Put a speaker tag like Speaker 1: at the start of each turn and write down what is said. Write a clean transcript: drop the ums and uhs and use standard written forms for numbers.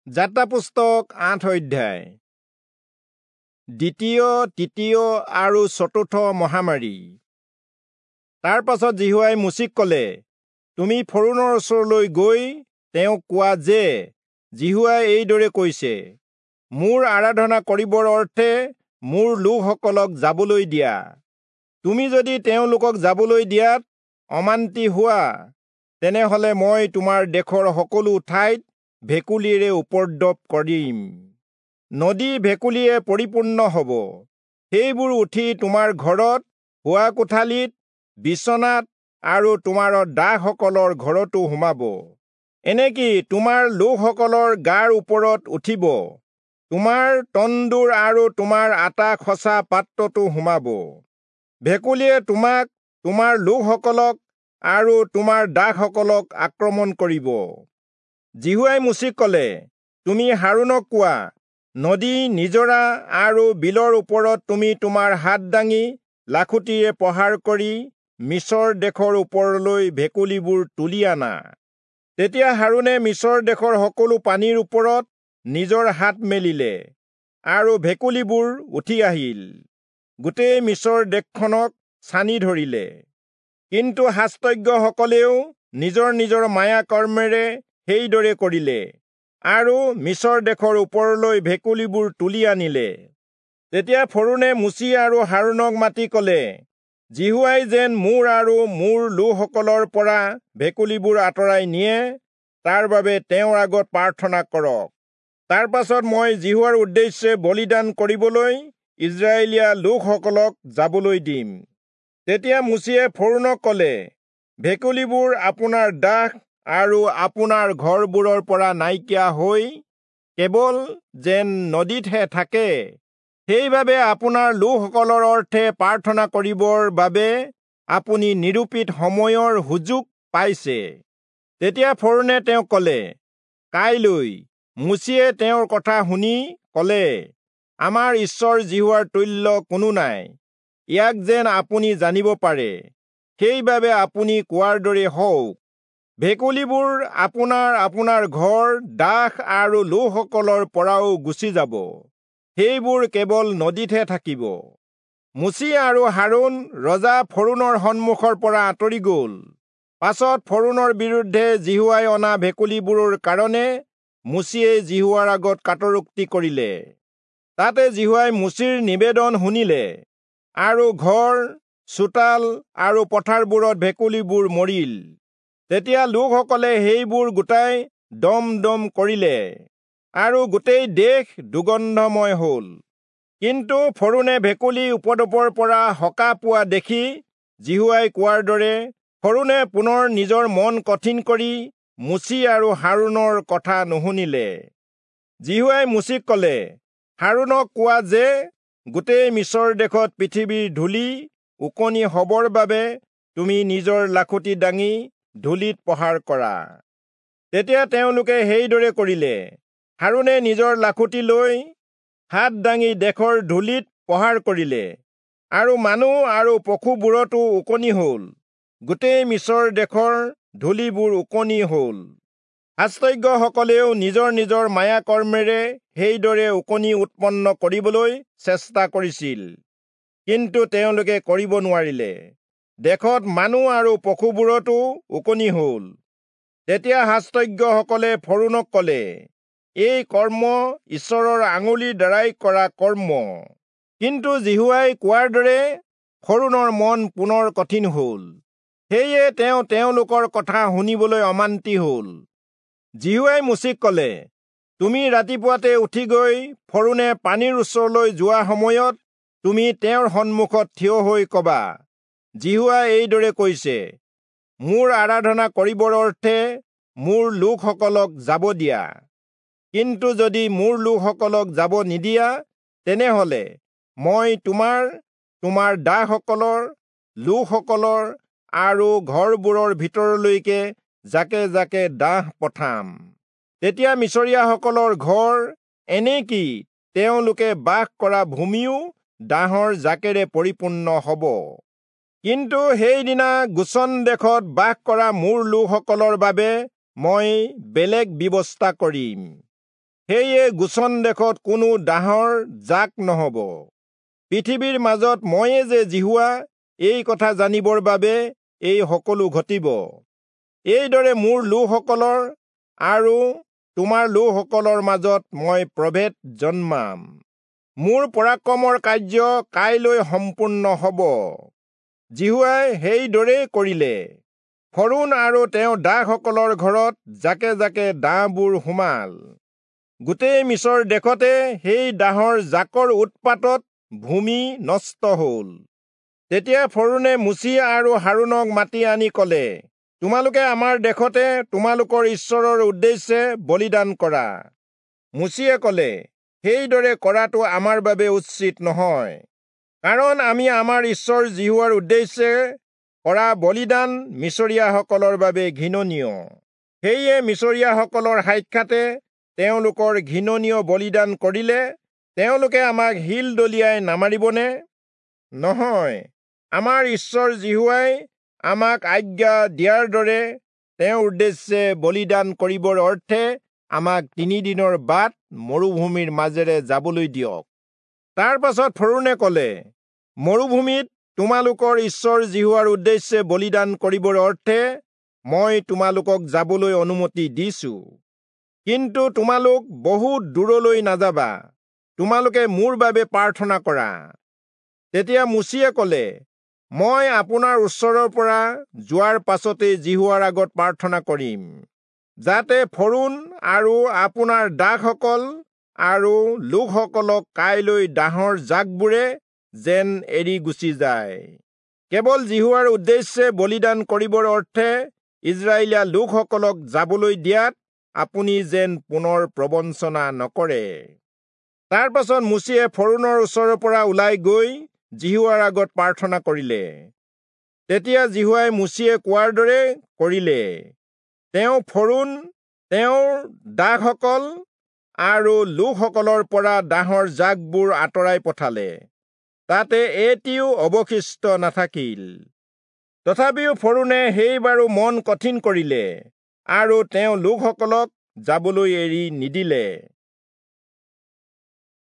Speaker 1: যাত্ৰা পুস্তক ৮ অধ্যায়। দ্বিতীয়, তৃতীয় আৰু চতুৰ্থ মহামাৰী। তাৰ পাছত যিহোৱাই মোচিক কলে, তুমি ফৰৌণৰ ওচৰলৈ গৈ তেওঁক কোৱা যে, যিহোৱাই এইদৰে কৈছে, মোৰ আৰাধনা কৰিবৰ অৰ্থে মোৰ লোকসকলক যাবলৈ দিয়া। তুমি যদি তেওঁলোকক যাবলৈ দিয়াত অমান্তি হোৱা, তেনেহলে মই তোমাৰ দেশৰ সকলো ঠাইত ভেকুলীৰে উপদ্ৰৱ কৰিম। নদী ভেকুলীয়ে পৰিপূৰ্ণ হ'ব। সেইবোৰ উঠি তোমাৰ ঘৰত, শোৱা কোঠালিত, বিচনাত আৰু তোমাৰ দাসসকলৰ ঘৰতো সোমাব। এনেকি তোমাৰ লোকসকলৰ গাৰ ওপৰত উঠিব, তোমাৰ তন্দুৰ আৰু তোমাৰ আটা খচা পাত্ৰতো সোমাব। ভেকুলীয়ে তোমাক, তোমাৰ লোকসকলক আৰু তোমাৰ দাসসকলক আক্ৰমণ কৰিব। যিহোৱাই মোচিক কলে, তুমি হাৰোণক কোৱা, নদী, নিজৰা আৰু বিলৰ ওপৰত তুমি তোমাৰ হাত দাঙি লাখুটিৰে প্ৰহাৰ কৰি মিচৰ দেশৰ ওপৰলৈ ভেকুলীবোৰ তুলি আনা। তেতিয়া হাৰোণে মিচৰ দেশৰ সকলো পানীৰ ওপৰত নিজৰ হাত মেলিলে আৰু ভেকুলীবোৰ উঠি আহিল, গোটেই মিচৰ দেশখনক ছানি ধৰিলে। কিন্তু শাস্ত্ৰজ্ঞসকলেও নিজৰ নিজৰ মায়া কৰ্মেৰে সেইদৰে কৰিলে আৰু মিচৰ দেশৰ ওপৰলৈ ভেকুলীবোৰ তুলি আনিলে। তেতিয়া ফৰৌণে মোচি আৰু হাৰোণক মাতি কলে, যিহোৱাই যেন মোৰ আৰু মোৰ লোকসকলৰ পৰা ভেকুলীবোৰ আঁতৰাই নিয়ে, তাৰ বাবে তেওঁৰ আগত প্ৰাৰ্থনা কৰক। তাৰ পাছত মই যিহোৱাৰ উদ্দেশ্যে বলিদান কৰিবলৈ ইস্ৰায়েলীয়া লোকসকলক যাবলৈ দিম। তেতিয়া মোচিয়ে ফৰৌণক কলে, ভেকুলীবোৰ আপোনাৰ দাস আৰু আপোনাৰ ঘৰবোৰৰ পৰা নাইকিয়া হৈ কেৱল যেন নদীতহে থাকে, সেইবাবে আপোনাৰ লোকসকলৰ অৰ্থে প্ৰাৰ্থনা কৰিবৰ বাবে আপুনি নিৰূপিত সময়ৰ সুযোগ পাইছে। তেতিয়া ফৰৌণে তেওঁক কলে, কাইলৈ। মোচিয়ে তেওঁৰ কথা শুনি কলে, আমাৰ ঈশ্বৰ যিহোৱাৰ তুল্য কোনো নাই, ইয়াক যেন আপুনি জানিব পাৰে, সেইবাবে আপুনি কোৱাৰ দৰে হওক। ভেকুলীবোৰ আপোনাৰ আপোনাৰ ঘৰ, দাস আৰু লোকসকলৰ পৰাও গুচি যাব, সেইবোৰ কেৱল নদীতহে থাকিব। মোচি আৰু হাৰোণ ৰজা ফৰৌণৰ সন্মুখৰ পৰা আঁতৰি গল। পাছত ফৰৌণৰ বিৰুদ্ধে যিহোৱাই অনা ভেকুলীবোৰৰ কাৰণে মোচিয়ে যিহোৱাৰ আগত কাতৰোক্তি কৰিলে। তাতে যিহোৱাই মোচিৰ নিবেদন শুনিলে আৰু ঘৰ, চোতাল আৰু পথাৰবোৰত ভেকুলীবোৰ মৰিল। তেতিয়া লোকসকলে সেইবোৰ গোটাই দম দম কৰিলে আৰু গোটেই দেশ দুৰ্গন্ধময় হল। কিন্তু ফৰৌণে ভেকুলী উপদ্ৰৱৰ পৰা সকাহ পোৱা দেখি যিহোৱাই কোৱাৰ দৰে ফৰৌণে পুনৰ নিজৰ মন কঠিন কৰি মোচি আৰু হাৰোণৰ কথা নুশুনিলে। যিহোৱাই মোচিক কলে, হাৰোণক কোৱা যে, গোটেই মিচৰ দেশত পৃথিৱীৰ ধূলি ওকণি হবৰ বাবে তুমি নিজৰ লাখুটি দাঙি ধূলিত প্ৰহাৰ কৰা। তেতিয়া তেওঁলোকে সেইদৰে কৰিলে। হাৰোণে নিজৰ লাখুটি লৈ হাত দাঙি দেশৰ ধূলিত প্ৰহাৰ কৰিলে আৰু মানুহ আৰু পশুবোৰতো ওকণি হল। গোটেই মিচৰ দেশৰ ধূলিবোৰ ওকণি হল। শাস্ত্ৰজ্ঞসকলেও নিজৰ নিজৰ মায়া কৰ্মেৰে সেইদৰে ওকণি উৎপন্ন কৰিবলৈ চেষ্টা কৰিছিল, কিন্তু তেওঁলোকে কৰিব নোৱাৰিলে। দেশত মানুহ আৰু পশুবোৰতো ওকণি হল। তেতিয়া শাস্ত্ৰজ্ঞসকলে ফৰৌণক কলে, এই কৰ্ম ঈশ্বৰৰ আঙুলিৰ দ্বাৰাই কৰা কৰ্ম। কিন্তু যিহোৱাই কোৱাৰ দৰে ফৰৌণৰ মন পুনৰ কঠিন হল, সেয়ে তেওঁ তেওঁলোকৰ কথা শুনিবলৈ অমান্তি হল। যিহোৱাই মোচিক কলে, তুমি ৰাতিপুৱাতে উঠি গৈ ফৰৌণে পানীৰ ওচৰলৈ যোৱা সময়ত তুমি তেওঁৰ সন্মুখত থিয় হৈ কবা, যিহোৱাই এইদৰে কৈছে, মোৰ আৰাধনা কৰিবৰ অৰ্থে মোৰ লোকসকলক যাব দিয়া। কিন্তু যদি মোৰ লোকসকলক যাব নিদিয়া, তেনেহলে মই তোমাৰ, তোমাৰ দাসসকলৰ, লোকসকলৰ আৰু ঘৰবোৰৰ ভিতৰলৈকে জাকে জাকে দাহ পঠাম। তেতিয়া মিচৰীয়াসকলৰ ঘৰ, এনেকি তেওঁলোকে বাস কৰা ভূমিও দাহৰ জাকেৰে পৰিপূৰ্ণ হব। কিন্তু সেইদিনা গোচন দেশত বাস কৰা মোৰ লোকসকলৰ বাবে মই বেলেগ ব্যৱস্থা কৰিম। সেয়ে গোচন দেশত কোনো দাহৰ জাক নহব। পৃথিৱীৰ মাজত ময়ে যে যিহোৱা, এই কথা জানিবৰ বাবে এই সকলো ঘটিব। এইদৰে মোৰ লোকসকলৰ আৰু তোমাৰ লোকসকলৰ মাজত মই প্ৰভেদ জন্মাম। মোৰ পৰাক্ৰমৰ কাৰ্য কাইলৈ সম্পূৰ্ণ হব। যিহোৱাই সেইদৰেই কৰিলে। ফৰোণ আৰু তেওঁৰ দাসসকলৰ ঘৰত জাকে জাকে দাহবোৰ সোমাল। গোটেই মিচৰ দেশতে সেই দাহৰ জাকৰ উৎপাতত ভূমি নষ্ট হল। তেতিয়া ফৰোণে মোচি আৰু হাৰোণক মাতি আনি কলে, তোমালোকে আমাৰ দেশতে তোমালোকৰ ঈশ্বৰৰ উদ্দেশ্যে বলিদান কৰা। মোচিয়ে কলে, সেইদৰে কৰাটো আমাৰ বাবে উচিত নহয়, কাৰণ আমি আমাৰ ঈশ্বৰ যিহোৱাৰ উদ্দেশ্যে কৰা বলিদান মিচৰীয়াসকলৰ বাবে ঘৃণনীয়। সেয়ে মিচৰীয়াসকলৰ সাক্ষাতে তেওঁলোকৰ ঘৃণনীয় বলিদান কৰিলে তেওঁলোকে আমাক শিল দলিয়াই নামাৰিবনে? নহয়, আমাৰ ঈশ্বৰ যিহোৱাই আমাক আজ্ঞা দিয়াৰ দৰে তেওঁৰ উদ্দেশ্যে বলিদান কৰিবৰ অৰ্থে আমাক 3 দিনৰ বাট মৰুভূমিৰ মাজেৰে যাবলৈ দিয়ক। তাৰ পাছত ফৰোণে কলে, মৰুভূমিত তোমালোকৰ ঈশ্বৰ যিহোৱাৰ উদ্দেশ্যে বলিদান কৰিবৰ অৰ্থে মই তোমালোকক যাবলৈ অনুমতি দিছো, কিন্তু তোমালোক বহুত দূৰলৈ নাযাবা। তোমালোকে মোৰ বাবে প্ৰাৰ্থনা কৰা। তেতিয়া মোচিয়ে কলে, মই আপোনাৰ ওচৰৰ পৰা যোৱাৰ পাছতেই যিহোৱাৰ আগত প্ৰাৰ্থনা কৰিম, যাতে ফৰোণ আৰু আপোনাৰ দাসসকল আৰু লোকসকলক কাইলৈ দাহৰ জাকবোৰে যেন এৰি গুচি যায়। কেৱল যিহোৱাৰ উদ্দেশ্যে বলিদান কৰিবৰ অৰ্থে ইজৰাইলীয়া লোকসকলক যাবলৈ দিয়াত আপুনি যেন পুনৰ প্ৰবঞ্চনা নকৰে। তাৰ পাছত মোচিয়ে ফৰোণৰ ওচৰৰ পৰা ওলাই গৈ যিহোৱাৰ আগত প্ৰাৰ্থনা কৰিলে। তেতিয়া যিহোৱাই মোচিয়ে কোৱাৰ দৰে কৰিলে। তেওঁ ফৰোণ, তেওঁৰ দাসসকল আৰু লোকসকলৰ পৰা দাহৰ জাকবোৰ আঁতৰাই পঠালে, তাতে এটিও অৱশিষ্ট নাথাকিল। তথাপিও ফৰোণে সেইবাৰো মন কঠিন কৰিলে আৰু তেওঁ লোকসকলক যাবলৈ এৰি নিদিলে।